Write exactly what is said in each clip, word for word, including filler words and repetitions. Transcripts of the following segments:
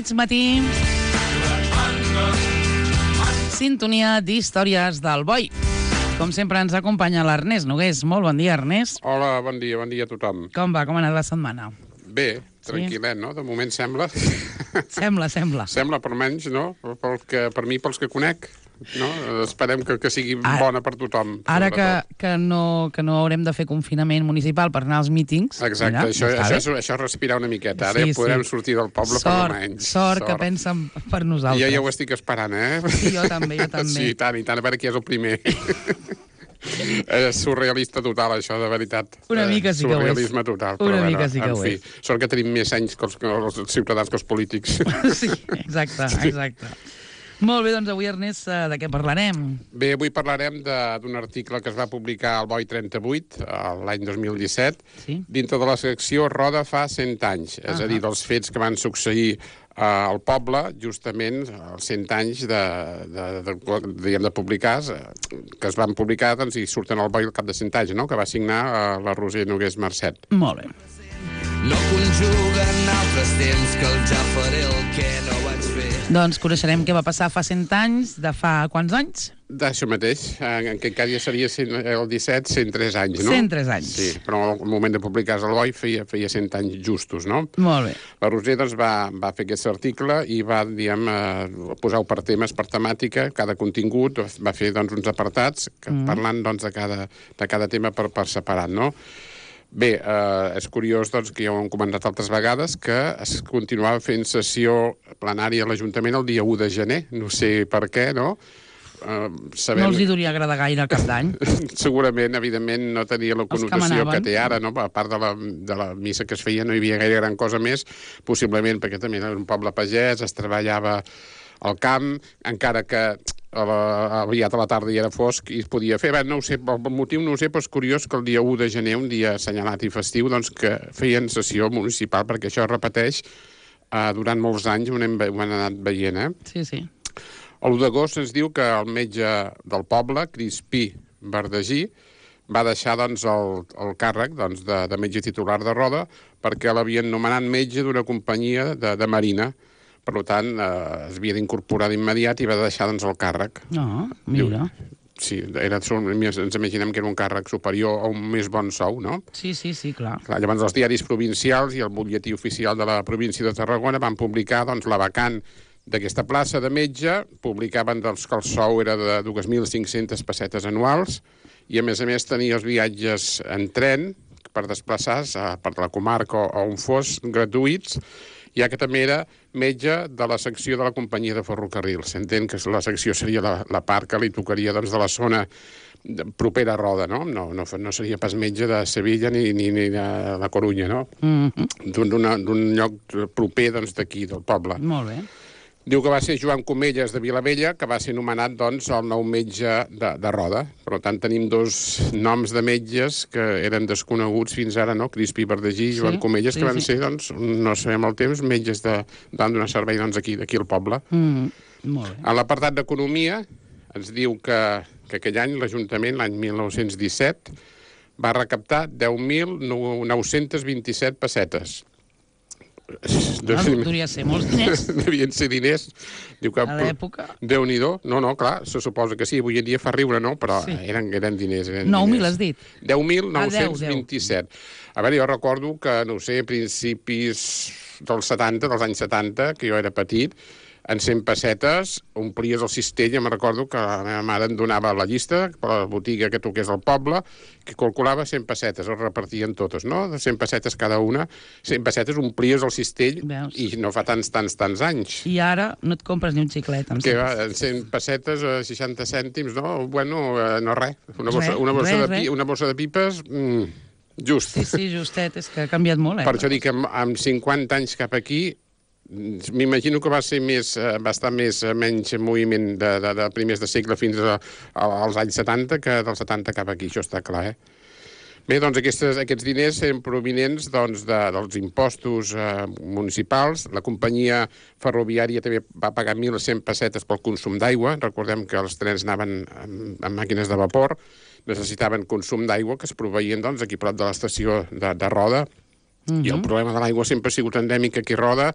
mig matí. Sintonia d'històries del Boi. Com sempre ens acompanya l'Ernest Nogués. Molt bon dia, Ernest. Hola, bon dia, bon dia a tothom. Com va? Com ha anat la setmana? Bé, tranquil·let, no? De moment sembla. Sembla, sembla. Sembla, per menys, no? Per, que, per mi, pels que conec, no? Esperem que, que sigui Ara, bona per tothom. Ara que, que, no, que no haurem de fer confinament municipal per anar als mítings... Exacte, mira, això, això, és, això és respirar una miqueta. Ara sí, ja podrem sí. sortir del poble sort, per almenys. Sort, sort que pensen per nosaltres. Jo ja ho estic esperant, eh? Sí, jo també, jo també. Sí, tant, i tant, a veure qui és el primer. És surrealista total, això, de veritat. Una mica sí que ho és. Surrealisme total. Una però, mica bueno, sí que ho fi, és. Sort que tenim més anys que els, que els ciutadans que els polítics. Sí, exacte, exacte. Molt bé, doncs avui, Ernest, de què parlarem? Bé, avui parlarem d'un article que es va publicar al Boi trenta-vuit, l'any dos mil disset, sí? Dintre de la secció Roda fa cent anys, és uh -huh. a dir, dels fets que van succeir uh, al poble, justament als cent anys de, de, de, de, de publicar, que es van publicar doncs, i surten al Boi al cap de cent anys, no? Que va signar uh, la Roser Nogués Marcet. Molt bé. No conjuguen altres temps que el ja faré el que no vaig fer. Doncs coneixerem què va passar fa cent anys, de fa quants anys? D'això mateix, en aquest cas ja seria el disset, cent tres anys, no? cent tres anys. Sí, però al moment de publicar-se al Boi feia, feia cent anys justos, no? Molt bé. La Roser doncs, va, va fer aquest article i va, diguem, eh, posar-ho per temes, per temàtica, cada contingut, va fer doncs, uns apartats que, mm. parlant doncs, de, cada, de cada tema per, per separat, no? Bé, eh, és curiós doncs, que ja ho hem comentat altres vegades que es continuava fent sessió plenària a l'Ajuntament el dia u de gener, no sé per què, no? Eh, sabem... No els hi duria agradar gaire cap d'any. Segurament, evidentment, no tenia la connotació que, que té ara, no? A part de la, de la missa que es feia no hi havia gaire gran cosa més, possiblement perquè també era un poble pagès, es treballava al camp, encara que a la, aviat a la tarda hi era fosc i es podia fer. Bé, no ho sé, el motiu no ho sé, però és curiós que el dia u de gener, un dia assenyalat i festiu, doncs que feien sessió municipal, perquè això es repeteix eh, durant molts anys, ho hem, ho hem anat veient, eh? Sí, sí. l'u d'agost ens diu que el metge del poble, Crispí Verdagí, va deixar doncs, el, el càrrec doncs, de, de metge titular de Roda perquè l'havien nomenat metge d'una companyia de, de marina. Per tant, eh, es havia d'incorporar d'immediat i va deixar doncs, el càrrec. No, mira. Sí, era, ens imaginem que era un càrrec superior a un més bon sou, no? Sí, sí, sí, clar. clar llavors, els diaris provincials i el butlletí oficial de la província de Tarragona van publicar doncs, la vacant d'aquesta plaça de metge, publicaven doncs, que el sou era de dos mil cinc-centes pessetes anuals i, a més a més, tenia els viatges en tren per desplaçar-se a part de la comarca o on fos, gratuïts, ja que també era metge de la secció de la companyia de ferrocarrils. S'entén que la secció seria la, la part que li tocaria doncs, de la zona de, propera a Roda, no? No, no? no seria pas metge de Sevilla ni, ni, ni de la Corunya, no? Mm-hmm. D'un lloc proper doncs, d'aquí, del poble. Molt bé. Diu que va ser Joan Comelles de Vilavella, que va ser nomenat doncs, el nou metge de, de Roda. Per tant, tenim dos noms de metges que eren desconeguts fins ara, no? Crispí Verdagí i Joan sí, Comelles, que sí, van sí. ser, doncs, no sabem el temps, metges de, van donar servei doncs, aquí, d'aquí al poble. Mm, molt bé. En l'apartat d'Economia ens diu que, que aquell any l'Ajuntament, l'any mil nou-cents disset, va recaptar deu mil nou-cents vint-i-set pessetes. No, podria ser molts diners. Devien ser diners. Diu que, a l'època. Déu-n'hi-do. No, no, clar, se suposa que sí. Avui en dia fa riure, no? Però sí. eren, eren diners. nou mil has dit? deu mil nou-cents vint-i-set. A veure, jo recordo que, no sé, a principis dels setanta, dels anys setanta, que jo era petit, en cent pessetes omplies el cistell. Jo me recordo que la meva mare em donava la llista per la botiga que toqués al poble, que calculava cent pessetes, es repartien totes, no? De cent pessetes cada una. cent pessetes omplies el cistell. Veus? I no fa tants, tants, tants anys. I ara no et compres ni un xiclet. Que va, cent pessetes, seixanta cèntims, no? Bueno, no res. Una bossa, una bossa, res, de, pi, una bossa de pipes... Mm, just. Sí, sí, justet, és que ha canviat molt, eh? Per això dic que amb, amb cinquanta anys cap aquí m'imagino que va ser més, va estar més, menys moviment de, de, de primers de segle fins a, a, als anys setanta que dels setanta cap aquí, això està clar, eh? Bé, doncs aquestes, aquests diners eren provinents doncs, de, dels impostos eh, municipals. La companyia ferroviària també va pagar mil cent pessetes pel consum d'aigua. Recordem que els trens anaven amb, amb màquines de vapor, necessitaven consum d'aigua que es proveïen doncs, aquí prop de l'estació de, de Roda. Uh-huh. I el problema de l'aigua sempre ha sigut endèmic aquí a Roda,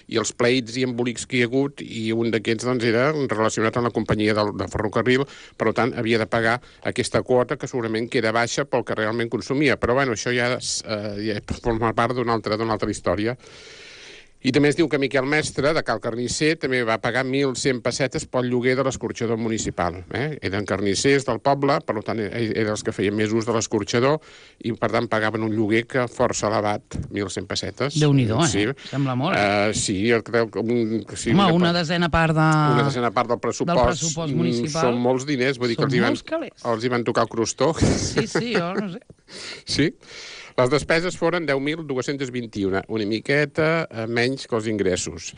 i els pleits i embolics que hi ha hagut, i un d'aquests doncs, era relacionat amb la companyia del, del ferrocarril, per tant havia de pagar aquesta quota que segurament que era baixa pel que realment consumia. Però bueno, això ja, eh, ja forma part d'una altra, d'una altra història. I també es diu que Miquel Mestre, de Cal Carnisser, també va pagar mil cent pessetes pel lloguer de l'escorxador municipal. Eh? Eren carnissers del poble, per tant, eren els que feien més ús de l'escorxador, i per tant pagaven un lloguer que força elevat, mil cent pessetes. Déu-n'hi-do, eh? Sí. Sembla molt. Uh, sí, jo crec que... Un, sí, Home, una, una desena part de... Una desena part del pressupost, del pressupost municipal. Són molts diners, vull dir que els hi, van, els hi van tocar el crostó. Sí, sí, jo no sé. Sí. Les despeses foren deu mil dos-cents vint-i-un, una miqueta menys que els ingressos.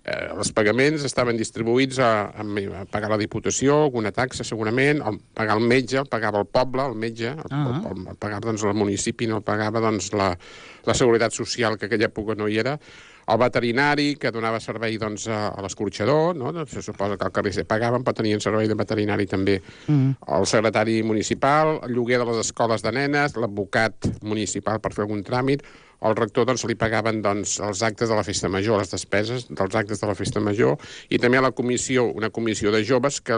Eh, els pagaments estaven distribuïts a, a, a pagar la Diputació, alguna taxa segurament, a pagar el metge, el pagava el poble, el metge, el, uh-huh. el, el pagava doncs, el municipi, no el pagava doncs, la, la Seguretat Social, que aquella època no hi era, el veterinari, que donava servei doncs, a, a l'escorxador, no? Doncs, se suposa que el carnisser pagaven, però tenien servei de veterinari també. Mm. El secretari municipal, el lloguer de les escoles de nenes, l'advocat municipal per fer algun tràmit, al rector doncs, li pagaven doncs, els actes de la festa major, les despeses dels actes de la festa major, i també a la comissió, una comissió de joves que,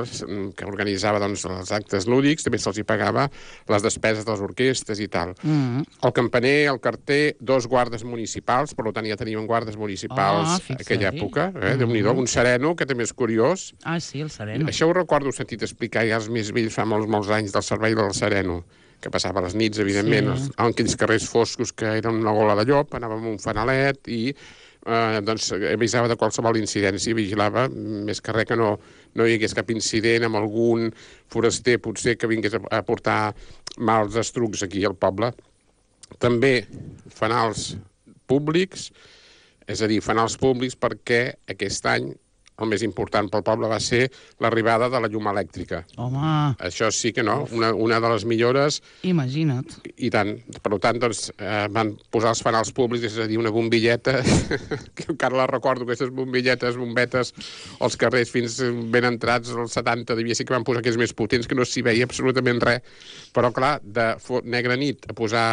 que organitzava doncs, els actes lúdics, també se'ls hi pagava les despeses de les orquestes i tal. Mm. El campaner, el carter, dos guardes municipals, per tant ja teníem guardes municipals oh, a aquella època, eh? Mm. Déu-n'hi-do, un sereno, que també és curiós. Ah, sí, el sereno. Això ho recordo sentit explicar ja els més vells fa molts, molts anys del servei del sereno, que passava a les nits, evidentment, sí. en aquells carrers foscos que eren una gola de llop, anava amb un fanalet i eh, doncs, avisava de qualsevol incidència i vigilava, més que res que no, no hi hagués cap incident amb algun foraster, potser, que vingués a, a portar mals estrucs aquí al poble. També fanals públics, és a dir, fanals públics perquè aquest any el més important pel poble va ser l'arribada de la llum elèctrica. Home! Això sí que no, una, una de les millores... Imagina't. I tant. Per tant, doncs, eh, van posar els fanals públics, és a dir, una bombilleta, que encara la recordo, aquestes bombilletes, bombetes, als carrers fins ben entrats, als setanta, devia ser que van posar aquells més potents, que no s'hi veia absolutament res. Però, clar, de negra nit a posar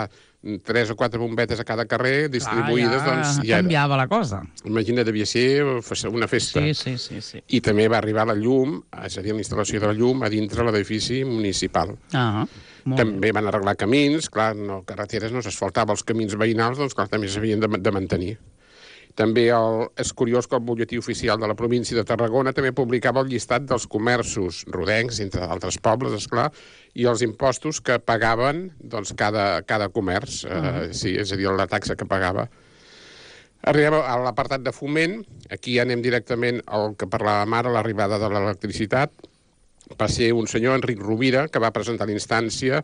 tres o quatre bombetes a cada carrer distribuïdes, ah, ja, doncs... Ja canviava la cosa. Imagina, devia ser una festa. Sí, sí, sí, sí. I també va arribar la llum, és a dir, la instal·lació de la llum a dintre l'edifici municipal. Ah, també bé. Van arreglar camins, clar, no, carreteres no s'asfaltava, els camins veïnals, doncs clar, també s'havien de, de mantenir. També el, és curiós que el butlletí oficial de la província de Tarragona també publicava el llistat dels comerços rodencs, entre altres pobles, esclar, i els impostos que pagaven doncs, cada, cada comerç, uh -huh. eh, sí, és a dir, la taxa que pagava. Arribem a l'apartat de foment, aquí ja anem directament al que parlàvem ara, l'arribada de l'electricitat. Va ser un senyor, Enric Rovira, que va presentar l'instància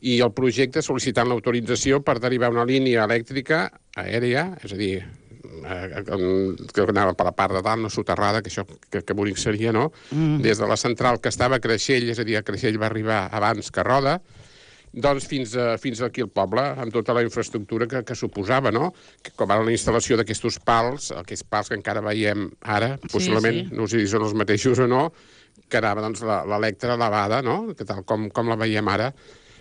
i el projecte sol·licitant l'autorització per derivar una línia elèctrica aèria, és a dir, que anava per la part de dalt, no soterrada, que això que, que bonic seria, no? Mm. Des de la central que estava a Creixell, és a dir, a Creixell va arribar abans que Roda, doncs fins, a, fins aquí al poble, amb tota la infraestructura que, que suposava, no? Que, com ara la instal·lació d'aquests pals, aquests pals que encara veiem ara, sí, possiblement, sí. No sé si són els mateixos o no, que anava doncs, l'electra elevada, no? Que tal com, com la veiem ara.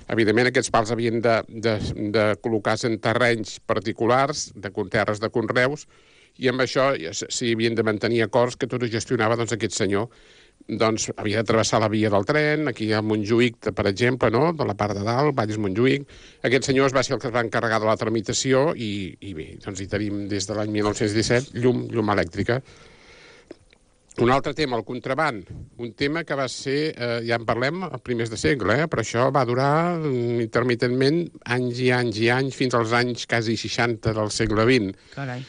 Evidentment, aquests pals havien de, de, de col·locar-se en terrenys particulars, de terres de conreus, i amb això s'hi havien de mantenir acords que tot ho gestionava doncs, aquest senyor. Doncs havia de travessar la via del tren, aquí a Montjuïc, per exemple, no? De la part de dalt, Valls-Montjuïc. Aquest senyor va ser el que es va encarregar de la tramitació i, i bé, doncs hi tenim des de l'any mil nou-cents disset llum, llum elèctrica. Un altre tema, el contraband, un tema que va ser, eh, ja en parlem, a primers de segle, eh, però això va durar intermitentment anys i anys i anys, fins als anys quasi seixanta del segle vint. Carai.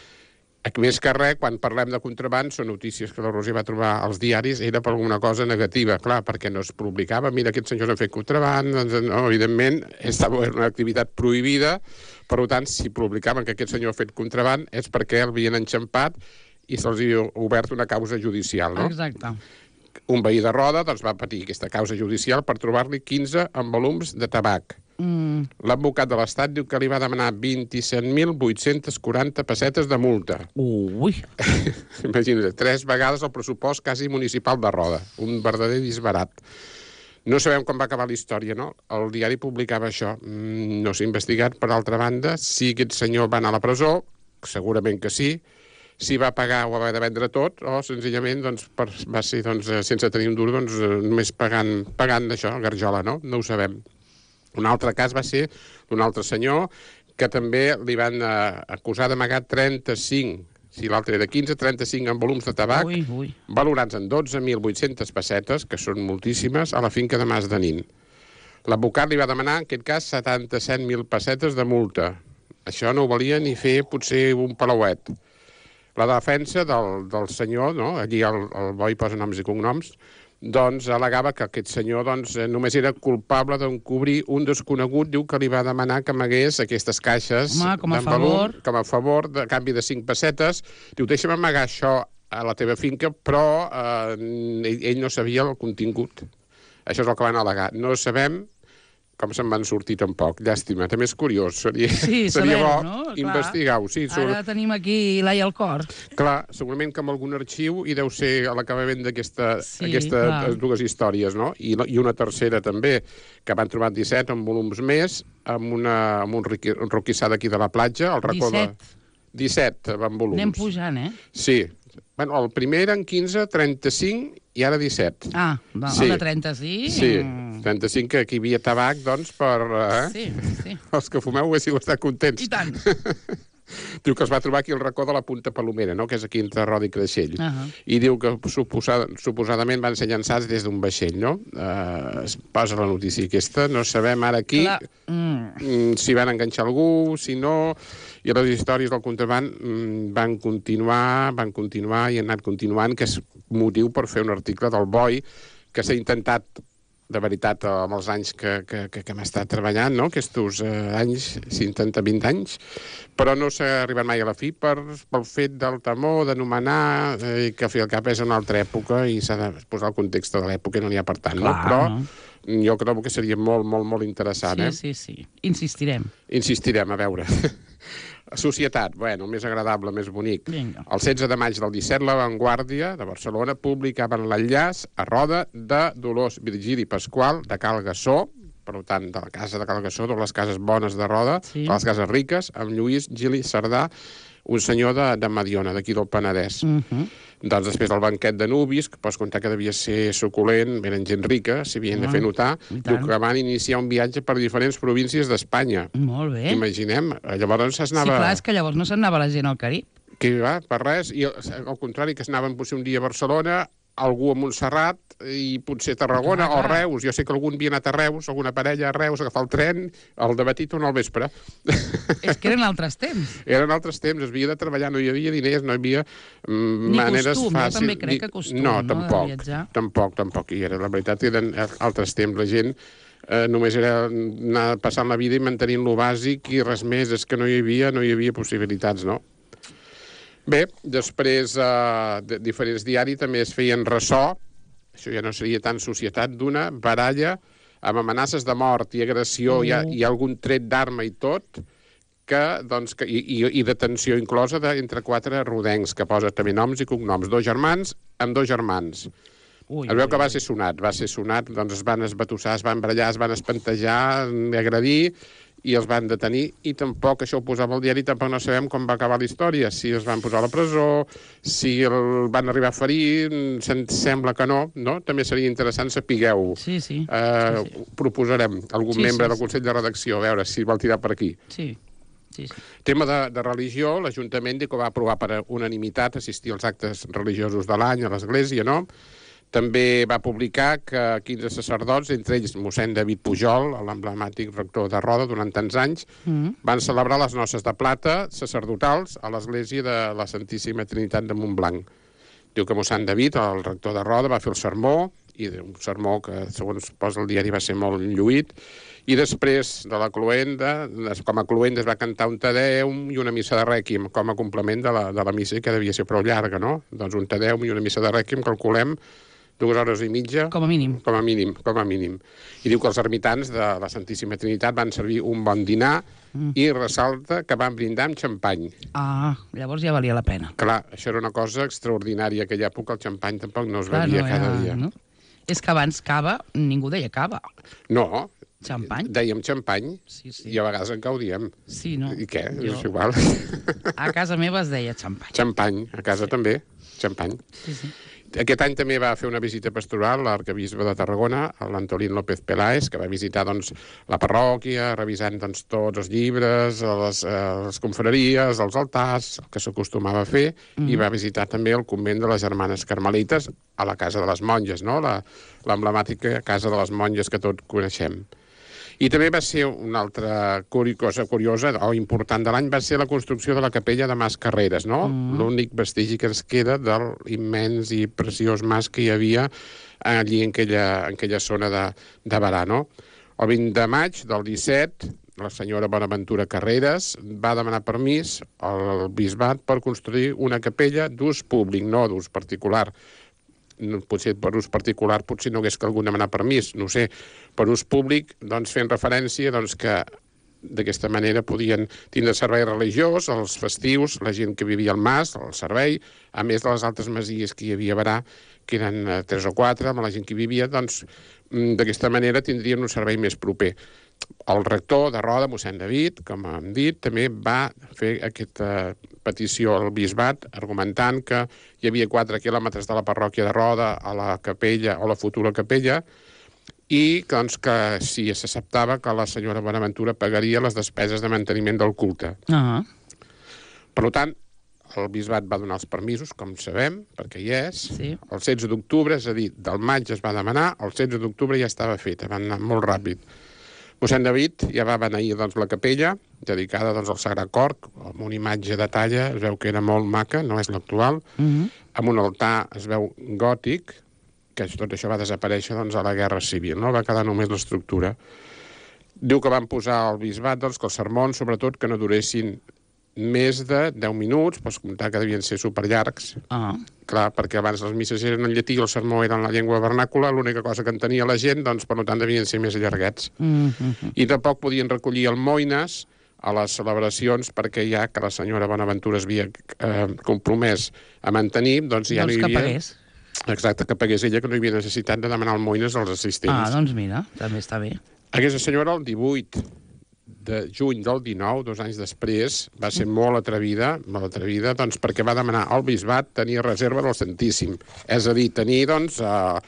Més que res, quan parlem de contraband, són notícies que la Roser va trobar als diaris, era per alguna cosa negativa, clar, perquè no es publicava, mira, aquests senyors han fet contraband, doncs, no, evidentment, estava una activitat prohibida, per tant, si publicaven que aquest senyor ha fet contraband és perquè el havien enxampat i se'ls ha obert una causa judicial, no? Exacte. Un veí de Roda doncs, va patir aquesta causa judicial per trobar-li quinze envolums de tabac. Mm. L'advocat de l'Estat diu que li va demanar vint-i-set mil vuit-cents quaranta pessetes de multa. Ui! Imagina't, tres vegades el pressupost quasi municipal de Roda. Un verdader disbarat. No sabem com va acabar la història, no? El diari publicava això. Mm, no s'ha investigat, per altra banda, si aquest senyor va anar a la presó, segurament que sí, si va pagar o va haver de vendre tot, o senzillament doncs, per, va ser doncs, sense tenir un duro, doncs, només pagant, pagant d'això, garjola, no? No ho sabem. Un altre cas va ser d'un altre senyor que també li van eh, acusar d'amagar trenta-cinc, si l'altre era quinze, trenta-cinc en volums de tabac, Ui, ui. valorats en dotze mil vuit-centes pessetes, que són moltíssimes, a la finca de Mas de Nin. L'advocat li va demanar, en aquest cas, setanta-set mil pessetes de multa. Això no ho valia ni fer potser un palauet. La defensa del, del senyor, no? Allí el, el boi posa noms i cognoms, doncs al·legava que aquest senyor doncs, només era culpable d'encobrir un desconegut, diu que li va demanar que amagués aquestes caixes Home, com a d'en Valum, favor. com a favor, de canvi de cinc pessetes. Diu, deixa'm amagar això a la teva finca, però eh, ell, ell no sabia el contingut. Això és el que van al·legar. No sabem com se'n van sortir tampoc. Llàstima. També és curiós. Seria, Sí, seria saber-ho, bo no? Clar. investigar-ho. Sí, sobre... Ara tenim aquí l'ai al cor. Clar, segurament que amb algun arxiu hi deu ser a l'acabament d'aquestes Sí, aquesta, clar. dues històries, no? I, I una tercera també, que van trobar disset en volums més, amb, una, amb un, riqui, un roquissà d'aquí de la platja, el racó de... disset. disset en volums. Anem pujant, eh? Sí. Bueno, el primer eren quinze, trenta-cinc i ara disset. Ah, va, Sí. el de trenta-cinc. Sí, trenta-cinc, que aquí hi havia tabac, doncs, per... Eh? Sí, sí. Els que fumeu haguéssiu estat contents. I tant. Diu que es va trobar aquí el racó de la Punta Palomera, no? Que és aquí entre Roda i Creixell. Uh -huh. I diu que suposada, suposadament van ser llançats des d'un vaixell, no? Uh, es posa la notícia aquesta, no sabem ara aquí Clar. Mm. mm, si van enganxar algú, si no... I les històries del contraband mm, van continuar, van continuar i han anat continuant, que és motiu per fer un article del Boi, que s'ha intentat de veritat, amb els anys que, que, que, que hem estat treballant, no? Aquests eh, anys, cinquanta, vint anys, però no s'ha arribat mai a la fi per, pel fet del temor d'anomenar, eh, que al fi al cap és una altra època i s'ha de posar el context de l'època i no n'hi ha per tant, Clar, no? Però no? jo crec que seria molt, molt, molt interessant, Sí, eh? sí, sí. Insistirem. Insistirem, a veure. Societat, bueno, més agradable, més bonic. Vinga. El setze de maig del disset, La Vanguardia de Barcelona publicaven l'enllaç a roda de Dolors Virgili Pasqual de Cal Gassó, per tant, de la casa de Cal Gassó, de les cases bones de Roda, Sí. de les cases riques, amb Lluís Gili Cerdà, un senyor de, de Mediona, d'aquí del Penedès. Uh -huh. Doncs després del banquet de nuvis, que pots contar que devia ser suculent, eren gent rica, s'hi havien de Ah, fer notar, i diu tant. que van iniciar un viatge per diferents províncies d'Espanya. Molt bé. Imaginem, llavors Sí, s'anava... clar, és que llavors no se'n anava la gent al Carib. Que va, per res, i al contrari, que s'anaven potser un dia a Barcelona, algú a Montserrat i potser a Tarragona Clar, o clar. Reus. Jo sé que algun havia anat a Reus, alguna parella a Reus, a agafar el tren, al dematí tornar al vespre. És que eren altres temps. Eren altres temps, es havia de treballar, no hi havia diners, no hi havia mm, Ni maneres costum, jo fàcils. també crec Ni- que costum, no, no, de tampoc, viatjar. tampoc, tampoc. I era, la veritat, eren altres temps. La gent eh, només era anar passant la vida i mantenint lo bàsic i res més. És que no hi havia, no hi havia possibilitats, no? Bé, després eh, de diferents diaris també es feien ressò, això ja no seria tant societat, d'una baralla amb amenaces de mort i agressió, Uh. i, i algun tret d'arma i tot, que, doncs, que, i, i, i detenció inclosa de, entre quatre rodencs, que posa també noms i cognoms. Dos germans amb dos germans. Ui, Es veu que va ser sonat, va ser sonat, doncs es van esbatussar, es van barallar, es van espantejar, agredir, i els van detenir, i tampoc, això ho posava al diari, tampoc no sabem com va acabar la història, si els van posar a la presó, si el van arribar a ferir, se'n sembla que no, no? També seria interessant sapigueu. Sí, sí. Eh, sí, sí. Proposarem algun Sí, membre sí, del sí. Consell de Redacció, a veure si vol tirar per aquí. Sí, sí, sí. Tema de, de religió, l'Ajuntament diu que va aprovar per unanimitat assistir als actes religiosos de l'any a l'Església, no? També va publicar que quinze sacerdots, entre ells mossèn David Pujol, l'emblemàtic rector de Roda durant tants anys, Mm. van celebrar les noces de plata sacerdotals a l'església de la Santíssima Trinitat de Montblanc. Diu que mossèn David, el rector de Roda, va fer el sermó, i un sermó que, segons posa el diari, va ser molt lluït, i després de la cloenda, com a cloenda es va cantar un Te Deum i una missa de rèquiem, com a complement de la, de la missa, que devia ser prou llarga, no? Doncs un Te Deum i una missa de rèquiem, calculem, dues hores i mitja. Com a mínim. Com a mínim, com a mínim. I diu que els ermitans de la Santíssima Trinitat van servir un bon dinar mm. i ressalta que van brindar amb xampany. Ah, llavors ja valia la pena. Clar, això era una cosa extraordinària. Aquella època el xampany tampoc no es Clar, bevia no cada era- dia. no? És que abans cava, ningú deia cava. No. Xampany? Dèiem xampany, sí, sí. i a vegades encara ho diem. Sí, no? I què? Jo... És igual. A casa meva es deia xampany. Xampany, a casa sí. també, xampany. Sí, sí. Aquest any també va fer una visita pastoral l'arquebisbe de Tarragona, l'Antolín López Peláez, que va visitar doncs, la parròquia, revisant doncs, tots els llibres, les, eh, les confraries, els altars, el que s'acostumava a fer, mm. i va visitar també el convent de les Germanes Carmelites a la Casa de les Monges, no? l'emblemàtica Casa de les Monges que tots coneixem. I també va ser una altra cosa curiosa o important de l'any, va ser la construcció de la capella de Mas Carreras, no? Mm. L'únic vestigi que ens queda de l'immens i preciós mas que hi havia allí en aquella, en aquella zona de, de Berà, no? El vint de maig del disset, la senyora Bonaventura Carreras va demanar permís al bisbat per construir una capella d'ús públic, no d'ús particular. Potser per ús particular potser no hagués calgut demanar permís, no ho sé, per ús públic, doncs fent referència doncs, que d'aquesta manera podien tindre servei religiós, els festius, la gent que vivia al mas, el servei, a més de les altres masies que hi havia a Berà, que eren eh, tres o quatre, amb la gent que hi vivia, doncs d'aquesta manera tindrien un servei més proper. El rector de Roda, mossèn David, com hem dit, també va fer aquesta petició al bisbat argumentant que hi havia quatre quilòmetres de la parròquia de Roda a la capella o la futura capella i doncs, que si s'acceptava que la senyora Bonaventura pagaria les despeses de manteniment del culte. Uh-huh. Per tant, el bisbat va donar els permisos, com sabem, perquè hi és. Sí. El setze d'octubre, és a dir, del maig es va demanar, el setze d'octubre ja estava feta, va anar molt ràpid. Mossèn David ja va beneir doncs, la capella, dedicada doncs, al Sagrat Cor, amb una imatge de talla, es veu que era molt maca, no és l'actual, uh-huh. amb un altar, es veu, gòtic, que tot això va desaparèixer doncs, a la Guerra Civil, no? Va quedar només l'estructura. Diu que van posar al bisbat doncs, que els sermons, sobretot, que no duressin més de deu minuts, pots comptar que devien ser superllargs. Ah. Clar, perquè abans les misses eren en llatí i el sermó era en la llengua vernàcula, l'única cosa que entenia la gent, doncs, per tant, devien ser més allarguets. Mm-hmm. I tampoc podien recollir almoines a les celebracions, perquè ja que la senyora Bonaventura es havia eh, compromès a mantenir, doncs ja doncs no hi havia... que pagués. Exacte, que pagués ella, que no hi havia necessitat de demanar almoines als assistents. Ah, doncs mira, també està bé. Aquesta senyora, el divuit de juny del dinou, dos anys després, va ser molt atrevida, molt atrevida, doncs perquè va demanar al bisbat tenir reserva del Santíssim. És a dir, tenir, doncs, eh,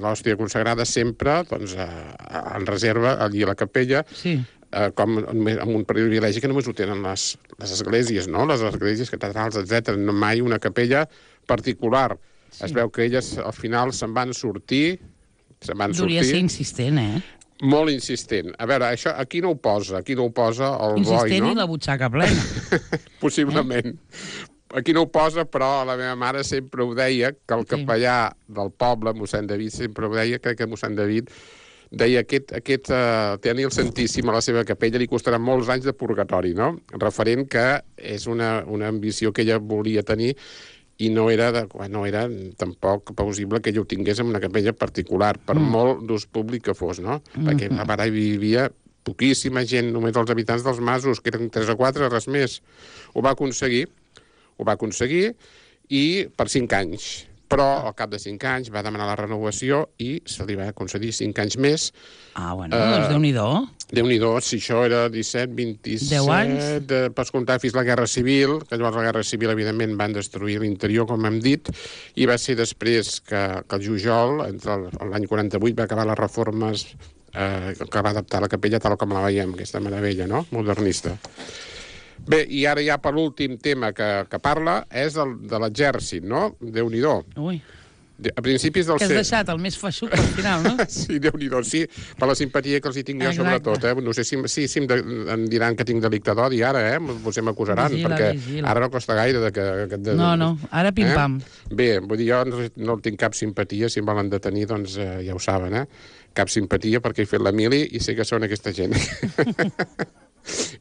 l'hòstia consagrada sempre, doncs, eh, en reserva allí a la capella, sí. eh, com amb un privilegi que només ho tenen les, les esglésies, no? Les esglésies catedrals, etcètera. No mai una capella particular. Sí. Es veu que elles, al final, se'n van sortir, se'n van Duria sortir... ser insistent, eh? Molt insistent. A veure, això aquí no ho posa, aquí no ho posa el insistent boi, no? I la butxaca plena. Possiblement. Eh? Aquí no ho posa, però la meva mare sempre ho deia, que el capellà del poble, mossèn David, sempre ho deia, crec que mossèn David deia aquest, aquest uh, tenir el Santíssim a la seva capella li costarà molts anys de purgatori, no? Referent que és una, una ambició que ella volia tenir i no era, de, no era tampoc possible que ella ho tingués en una capella particular, per mm. molt d'ús públic que fos, no? Mm-hmm. Perquè a Berà hi vivia poquíssima gent, només els habitants dels masos, que eren tres o quatre, res més. Ho va aconseguir, ho va aconseguir, i per cinc anys. Però al cap de cinc anys va demanar la renovació i se li va concedir cinc anys més. Ah, bueno, uh, doncs Déu-n'hi-do. Déu-n'hi-do, si això era disset, vint-i-set... deu anys? De, pots comptar fins la Guerra Civil, que llavors la Guerra Civil, evidentment, van destruir l'interior, com hem dit, i va ser després que, que el Jujol, entre l'any quaranta-vuit, va acabar les reformes eh, que va adaptar la capella tal com la veiem, aquesta meravella, no?, modernista. Bé, i ara ja per l'últim tema que, que parla és el de l'exèrcit, no? Déu-n'hi-do. Ui. De, a principis del... Que has deixat el més feixuc al final, no? Sí, Déu-n'hi-do, sí, per la simpatia que els hi tinc jo, sobretot, eh? No sé si, si, si em, de, em diran que tinc delicte d'odi ara, eh? Potser m'acusaran, vigila, perquè vigila. Ara no costa gaire de que... que de, no, no, ara pim-pam. Eh? Bé, vull dir, jo no, no tinc cap simpatia, si em volen detenir, doncs eh, ja ho saben, eh? Cap simpatia perquè he fet la mili i sé que són aquesta gent.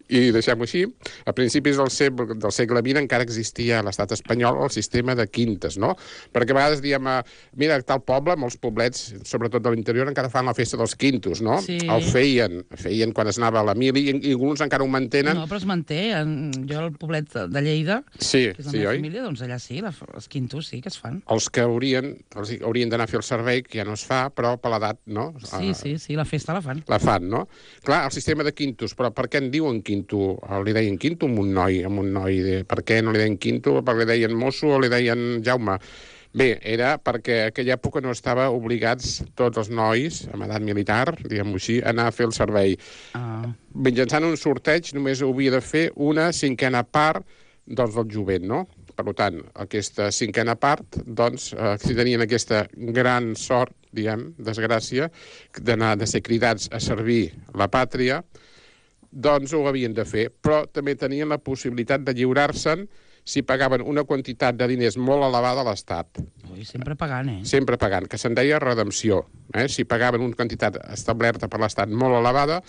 i deixem-ho així. A principis del segle, del segle vint encara existia a l'estat espanyol el sistema de quintes, no? Perquè a vegades diem, mira, tal poble, molts poblets, sobretot de l'interior, encara fan la festa dels quintos, no? Sí. El feien, feien quan es anava a la mili, i, i alguns encara ho mantenen. No, però es manté. En, jo, al poblet de Lleida, sí, que és la sí, meva oi? família, doncs allà sí, la, els quintos sí que es fan. Els que haurien, els haurien d'anar a fer el servei, que ja no es fa, però per l'edat, no? Sí, sí, sí, la festa la fan. La fan, no? Clar, el sistema de quintos, però per què en diuen quinto? Li deien quinto a un noi, a un noi de... Per què no li deien quinto? Per què li deien mosso o li deien Jaume? Bé, era perquè a aquella època no estava obligats tots els nois, amb edat militar, diguem-ho així, a anar a fer el servei. Ah. Mitjançant un sorteig només ho havia de fer una cinquena part doncs, del jovent, no? Per tant, aquesta cinquena part, doncs, eh, si tenien aquesta gran sort, diguem, desgràcia, d'anar de ser cridats a servir la pàtria, doncs ho havien de fer, però també tenien la possibilitat de lliurar-se'n si pagaven una quantitat de diners molt elevada a l'Estat. Ui, sempre pagant, eh? Sempre pagant, que se'n deia redempció. Eh? Si pagaven una quantitat establerta per l'Estat molt elevada,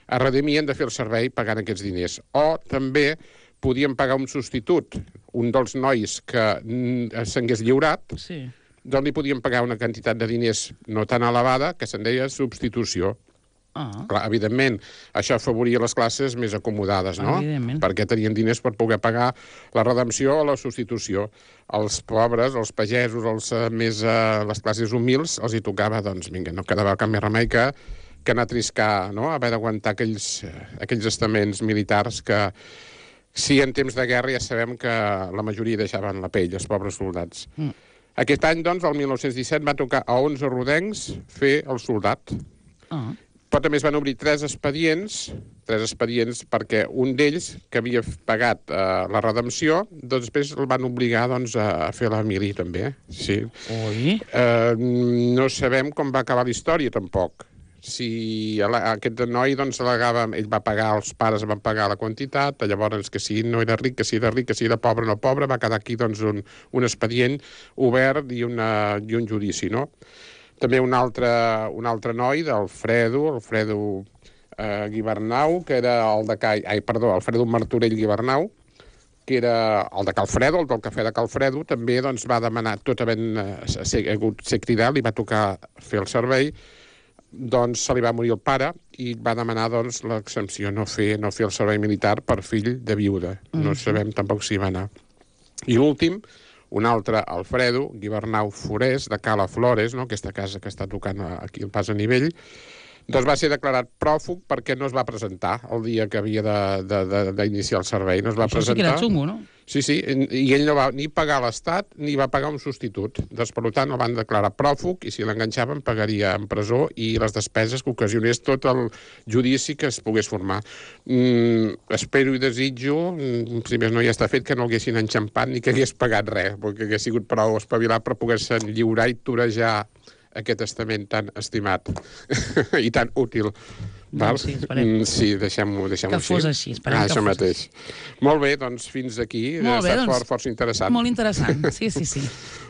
es redimien de fer el servei pagant aquests diners. O també podien pagar un substitut, un dels nois que s'hagués lliurat, Sí. doncs li podien pagar una quantitat de diners no tan elevada, que se'n deia substitució. Ah. Clar, evidentment, això afavoria les classes més acomodades, no? Evidentment. Perquè tenien diners per poder pagar la redempció o la substitució. Els pobres, els pagesos, els eh, més, eh, les classes humils, els hi tocava, doncs, vinga, no quedava cap més remei que, que anar a triscar, no? Haver d'aguantar aquells, eh, aquells estaments militars que, sí, en temps de guerra ja sabem que la majoria deixaven la pell, els pobres soldats. Mm. Aquest any, doncs, el mil nou-cents disset, va tocar a onze rodencs fer el soldat. Ah. Però també es van obrir tres expedients, tres expedients perquè un d'ells, que havia pagat eh, la redempció, doncs després el van obligar doncs, a fer la mili, també. Sí. Ui. Eh, no sabem com va acabar la història, tampoc. Si aquest noi doncs, al·legava, ell va pagar, els pares van pagar la quantitat, llavors que si no era ric, que si era ric, que si era pobre no pobre, va quedar aquí doncs, un, un expedient obert i, una, i un judici, no? També un altre, un altre noi, d'Alfredo, Alfredo eh, Guibernau, que era el de Cai... Ai, perdó, Alfredo Martorell Guibernau, que era el de Calfredo, el del cafè de Calfredo, també doncs, va demanar, tot havent eh, ser, ser cridat, li va tocar fer el servei, doncs se li va morir el pare i va demanar doncs, l'exempció, no fer, no fer el servei militar per fill de viuda. Mm. No sabem tampoc si va anar. I l'últim, un altre, Alfredo Guibernau Forés, de Cala Flores, no? Aquesta casa que està tocant aquí al pas a nivell, doncs va ser declarat pròfug perquè no es va presentar el dia que havia d'iniciar el servei. No es va Això presentar. sí que era xungo, no? Sí, sí, i ell no va ni pagar l'Estat ni va pagar un substitut. Doncs, per tant, el van declarar pròfug i si l'enganxaven pagaria en presó i les despeses que ocasionés tot el judici que es pogués formar. Mm, espero i desitjo, si més no ja està fet, que no haguessin enxampat ni que hagués pagat res, perquè hagués sigut prou espavilat per poder-se lliurar i torejar aquest estament tan estimat i tan útil. Val? Doncs sí, esperem. Sí, deixem-ho deixem que així. fos així, esperem ah, que això fos mateix. així. Molt bé, doncs fins aquí. Molt bé, ha estat doncs, fort, força interessant. Molt interessant, sí, sí, sí.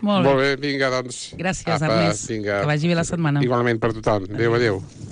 Molt, Molt bé, vinga, doncs. Gràcies, apa, Ernest. vinga. Que vagi bé la setmana. Igualment per tothom. Adéu, adéu.